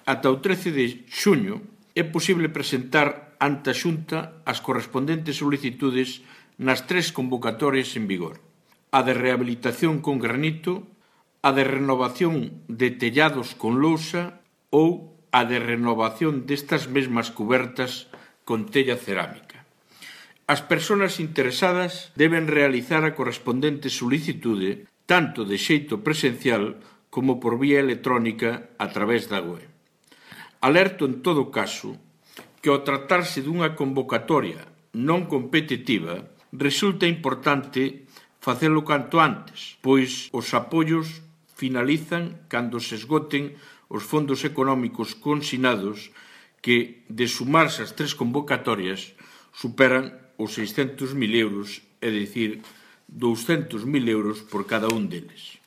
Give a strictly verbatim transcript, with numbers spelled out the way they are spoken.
Ata o trece de xuño é posible presentar ante a Xunta as correspondentes solicitudes nas tres convocatorias en vigor: a de rehabilitación con granito, a de renovación de tellados con lousa ou a de renovación destas mesmas cubertas con tella cerámica. As persoas interesadas deben realizar a correspondente solicitude tanto de xeito presencial como por vía electrónica a través da web. Alerto en todo caso que ao tratarse dunha convocatoria non competitiva resulta importante facelo canto antes, pois os apoios finalizan cando se esgoten os fondos económicos consignados que, de sumarse as tres convocatorias, superan os seiscentos mil euros, é dicir, douscentos mil euros por cada un deles.